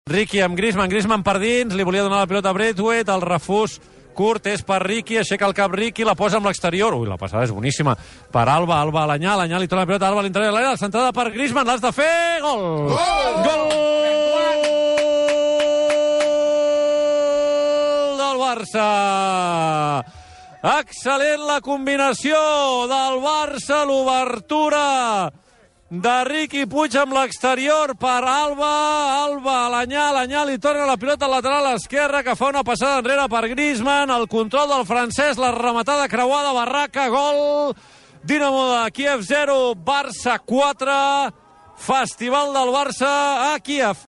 Riqui amb Griezmann, Griezmann per dins, li volia donar la pilota a Braithwaite, el refús curt és per Riqui, aixeca el cap Riqui, la posa amb l'exterior. Ui, la passada és boníssima per Alba, Alba a l'Anyà, l'Anyà li torna la pilota a Alba a l'interior de l'àrea, la centrada per Griezmann, l'has de fer, gol! Gol del Barça! Excel·lent la combinació del Barça, l'obertura de Riqui Puig amb l'exterior per Alba, Alba a l'Anyà, l'Anyà li torna la pilota lateral a l'esquerra que fa una passada enrere per Griezmann, el control del francès, la rematada creuada, Barraca, gol, Dinamo de Kíev 0, Barça 4, Festival del Barça a Kíev.